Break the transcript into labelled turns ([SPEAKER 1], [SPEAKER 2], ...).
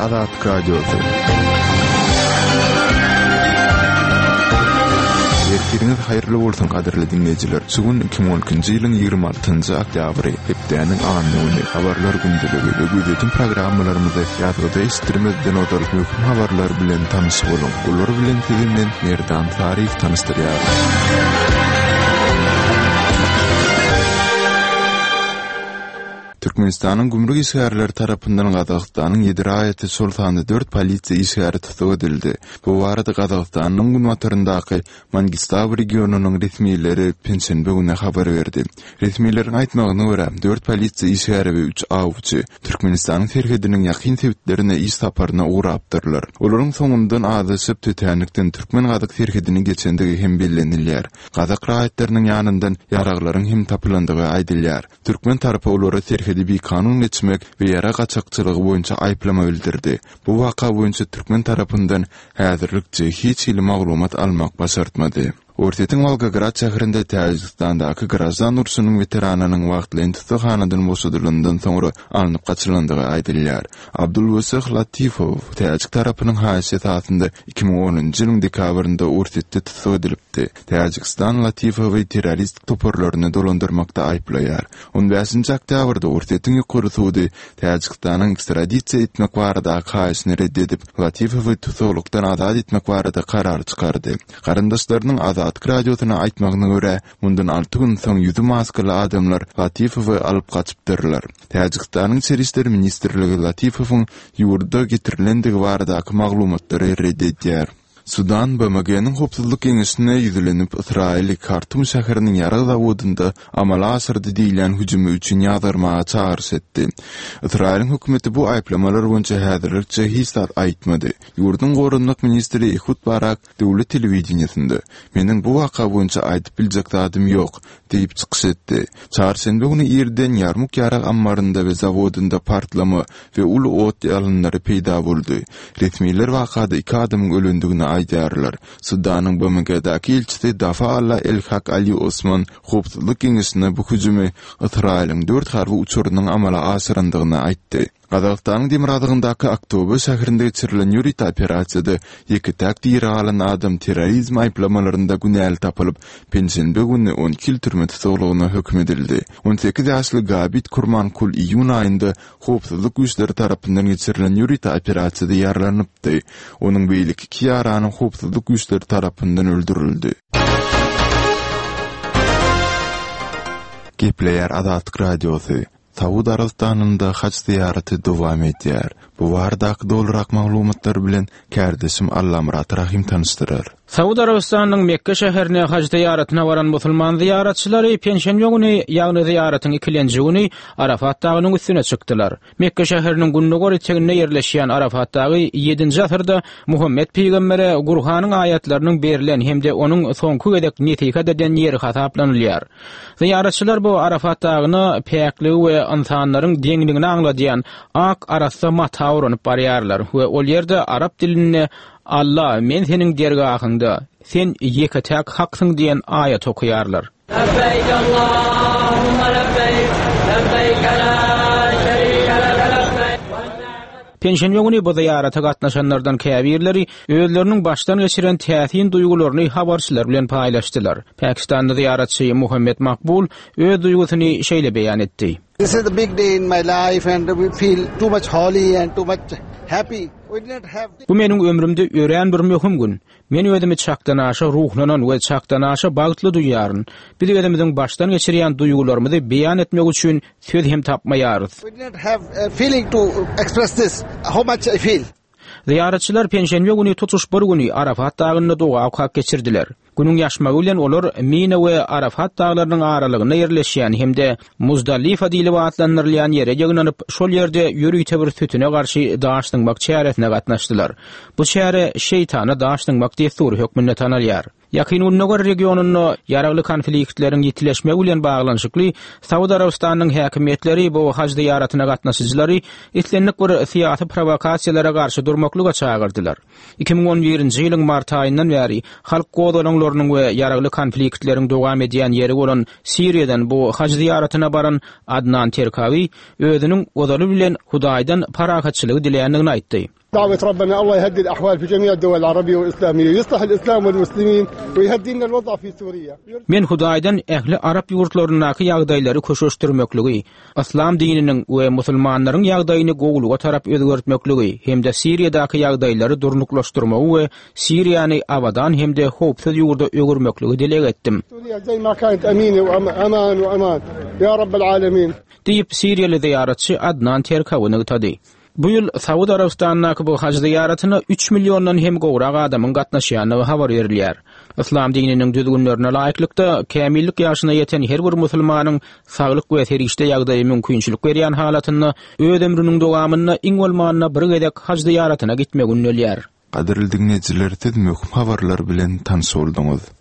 [SPEAKER 1] Azatlyk Radiosy. Ertiriňiz haýyrly bolsun gadyrly diňleýjiler. Şu gün 2012-nji ýylyň 26-njy oktýabry, hepdäniň anna güni, habarlar gündeligi we gözýetim programmalarymyzy ýazgyda eşitdirmezden ozal möhüm habarlar bilen tanyş boluň. Olar bilen sizi men Merdan Saryýew tanyşdyrýaryn. Türkmenistanyň gümrük işgärleri tarapyndan Gazagystanyň ýedi raýaty, şol sanda dört polisiýa işgäri tussag edildi. Bu barada Gazagystanyň günbataryndaky Mangistau regionynyň resmileri penşenbe güni habar berdi. Resmileriň aýtmagyna görä, dört polisiýa işgäri we üç awçy Türkmenistanyň serhediniň ýakyn sebitlerine iş saparyna ugrapdyrlar. Olaryň soňundan azaşyp, tötänlikden türkmen-gazak serhedini geçendigi hem bellenilýär. Gazak raýatlarynyň ýanyndan ýaraglaryň hem tapylandygy aýdylýar. Türkmen tarapy olara serhedi bikanun geçmek we ýarag gaçakçylygy boýunça aýyplama bildirdi. Bu waka boýunça türkmen tarapyndan häzirlikçe hiç hili maglumat almak başartmady. Orsýetiň Wolgograd şäherinde Täjigistandaky graždan urşunyň weteranynyň wagtlaýyn tussaghanadan boşadylandan soňra alnyp gaçylandygy aýdylýar. Abdulwesih Latifow täjik tarapynyň haýyşy esasynda 2010-njy ýylyň dekabrynda Orsýetde tussag edilipdi. Täjigistan Latifowy terroristik toparlaryny dolandyrmakda aýyplaýar. On bäşinji oktýabrda Orsýetiň Ýokary sudy Täjigistanyň ekstradisiýa etmek baradaky haýyşyny ret edip, Latifowy tussaglykdan azat etmek barada karar çykardy. Garyndaşlarynyň Azatlyk Radiosyna aýtmagyna görä, mundan alty gün soň ýüzi maskaly adamlar Latifowy alyp gaçypdyrlar. Täjigistanyň Içeri işler ministrligi Latifowyň ýurda getirilendigi baradaky maglumatlary ret edýär. Sudan BMG-niň Howpsuzlyk Geňeşine ýüzlenip, Ysraýyly Kartum şäheriniň ýarag zawodynda amala aşyrdy diýilýän hüjümi üçin ýazgarmaga çagyryş etdi. Ysraýylyň hökümeti bu aýyplamalar boýunça häzirlikçe hiç zat aýtmady. Ýurduň goranmak ministri Ehud Barak döwlet telewideniýesinde, Meniň bu waka boýunça aýdyp biljek zadym ýok, diýip çykyş etdi. Çarşenbe güni irden Ýarmuk ýarag ammarynda we zawodynda partlama we uly ot ýalynlary peýda boldy. Resmiler wakada iki adamyň ölendigini aýdýarlar. Sudanyň BMG-daky ilçisi Dafa Alla El-Hak Ali Osman Howpsuzlyk Geňeşine bu hüjümi Ysraýylyň dört harby uçarynyň amala aşyrandygyny aýtdy. Gazagystanyň demirgazygyndaky Aktobe şäherinde geçirilen ýörite operasiýada ýeke-täk diri galan adam terrorizm aýyplamalarynda günäli tapylyp, penşenbe güni 12 ýyl türme tussaglygyna höküm edildi. 18 ýaşly Gabit Kurmankul iýun aýynda howpsuzlyk güýçleri tarapyndan geçirilen ýörite operasiýada ýaralanypdy. Onuň beýleki iki ýarany howpsuzlyk güýçleri tarapyndan öldürildi. Gepleýär Azatlyk Radiosy, Saud Arabystanynda haj zyýaraty dowam edýär. Bu baradaky dolurak maglumatlar bilen kärdeşim Allamyrat Rahym tanyşdyrar.
[SPEAKER 2] Saud Arabystanynyň Mekge şäherine haj zyýaratyna baran musulman zyýaratçylary penşenbe güni, ýagny zyýaratyň ikilenji güni Arafat dagynyň üstüne çykdylar. Mekge şäheriniň gündogar eteginde ýerleşýän Arafat dagy ýedinji asyrda Muhammet pygambere Gurhanyň aýatlarynyň berlen hem-de onuň soňky gezek nesihat eden ýeri hasaplanylýar. Zyýaratçylar bu Arafat dagyna päkligi we ynsanlaryň deňligini aňladýan ak arassa mata oranyp barýarlar we ol ýerde arap dilinde Alla, men seniň dergahyňda, sen ýeke-täk Haksyň diýen aýaty okaýarlar.
[SPEAKER 3] Lebbeýk Allahumma lebbeýk, lebbeýk la şerike leke lebbeýk.
[SPEAKER 2] Penşenbe güni bu zyýarata gatnaşanlardan käbirleri özleriniň başdan geçiren täsin duýgularyny habarçylar bilen paýlaşdylar. Pakistanly zyýaratçy Muhammet Makbul öz duýgusyny şeýle beýan etdi.
[SPEAKER 4] This is the big day in my life and we feel too much holy and too much happy. We did not have
[SPEAKER 2] Bu meniň ömrümde örän bir möhüm gün. Men özümi çakdanaşa ruhlanan we çakdanaşa bagtly duýýaryn. Biz özümiziň başdan geçirýän duýgularymyzy beýan etmek üçin söz hem tapmaýarys.
[SPEAKER 4] We did not have a feeling to express this, how much I feel.
[SPEAKER 2] Zyýaratçylar penşenbe güni tutuş bir güni Arafat dagynda doga okap geçirdiler. Günüň ýaşmagy bilen olar Mina we Arafat daglarynyň aralygynda ýerleşýän hem-de Muzdalifa diýlip atlandyrylýan ýere ýygnanyp, şol ýerde ýörite bir sütüne garşy daş zyňmak çäresine gatnaşdylar. Bu çäre şeýtana daş zyňmak dessury hökmünde tanalýar. Ýakyn Gündogar regionynda ýaragly konfliktleriň ýitileşmegi bilen baglanyşykly Saud Arabystanynyň häkimiýetleri bu haj zyýaratyna gatnaşyjylary islendik bir syýasy prowokasiýalara garşy durmaklyga çagyrdylar. 2011-nji ýylyň mart aýyndan bäri halk gozgalaňlarynyň. uruşlarynyň we ýaragly konfliktleriň dowam edýän ýeri bolan Siriýadan bu haj zyýaratyna baran Adnan Terkawi özüniň ozaly bilen Hudaýdan parahatçylygy diländigini aýtdy.
[SPEAKER 5] Dawet Rabbena Allah ýehdi al-ahwal fi jemi' ad-dawal al-arabiyya wal-islamiyya, ýuslah al-islam wal-muslimin we ýehdina al-wada fi Suriýa.
[SPEAKER 2] Men Hudaýdan ähli arap ýurtlaryndaky ýagdaýlary köşeşdirmekligi, yslam dininiň we musulmanlaryň ýagdaýyny gowulyga tarap özgertmekligi hem-de Siriýadaky ýagdaýlary durnuklaşdyrmagy we Siriýany abadan hem-de howpsuz ýurda öwürmekligi dileg etdim. Diýip, siriýaly zyýaratçy Adnan Terkawi nygtady. Bu ýyl Saud Arabystanyndaky bu haj zyýaratyna üç milliondan hem gowrak adamyň gatnaşýandygy habar berilýär. Yslam dininiň düzgünlerine laýyklykda, kämillik ýaşyna ýeten her bir musulmanyň saglyk we serişde ýagdaýy mümkinçilik berýän halatynda öz ömrüniň dowamynda iň bolmanda bir gezek haj zyýaratyna gitmegi ündelýär.
[SPEAKER 1] Gadyrly diňleýjiler siz möhüm habarlar bilen tanyş bolduňyz.